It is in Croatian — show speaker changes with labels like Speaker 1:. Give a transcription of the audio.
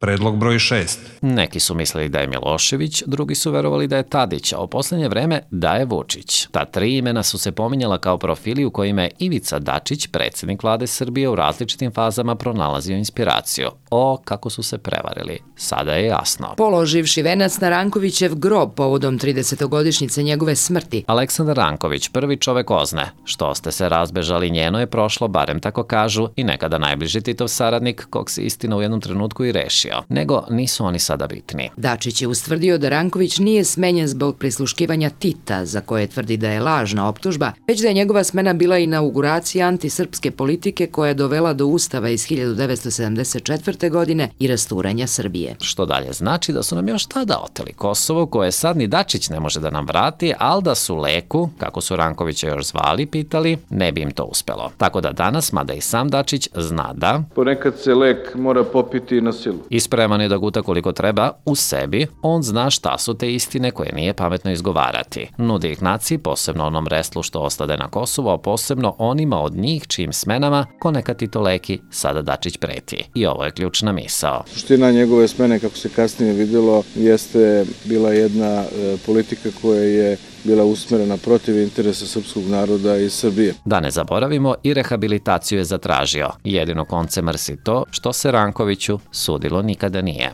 Speaker 1: Predlog broj 6.
Speaker 2: Neki su mislili da je Milošević, drugi su verovali da je Tadić, a u poslednje vreme da je Vučić. Ta tri imena su se pominjala kao profili u kojima je Ivica Dačić, predsjednik vlade Srbije, u različitim fazama pronalazio inspiraciju. Kako su se prevarili. Sada je jasno.
Speaker 3: Položivši venac na Rankovićev grob povodom 30-godišnjice njegove smrti.
Speaker 2: Aleksandar Ranković, prvi čovek OZNE. Što ste se razbežali, njeno je prošlo, barem tako kažu, i nekada najbliži Titov saradnik, kog se istina u jednom trenutku i rešio. Nego nisu oni sada bitni.
Speaker 3: Dačić je ustvrdio da Ranković nije smenjen zbog prisluškivanja Tita, za koje tvrdi da je lažna optužba, već da je njegova smena bila inauguracija antisrpske politike koja je dovela do Ustava iz 1974. godine i rasturanja Srbije.
Speaker 2: Što dalje znači da su nam još tada oteli Kosovo, koje sad ni Dačić ne može da nam vrati, ali da su Leku, kako su Rankovića još zvali, pitali, ne bi im to uspelo. Tako da danas, mada i sam Dačić zna da
Speaker 4: ponekad se lek mora popiti na silu.
Speaker 2: I spreman je da guta koliko treba u sebi, on zna šta su te istine koje nije pametno izgovarati. Nudi ih naciji, posebno onom restlu što ostade na Kosovu, a posebno onima od njih čijim smenama, ko neka Tito Leki, sada Dačić preti. I ovo je ključna misao.
Speaker 4: Suština njegove smene, kako se kasnije vidjelo, jeste bila jedna politika koja je bila usmerena protiv interesa srpskog naroda i Srbije.
Speaker 2: Da ne zaboravimo, i rehabilitaciju je zatražio. Jedino konce mrsi to što se Rankoviću sudilo nikada nije.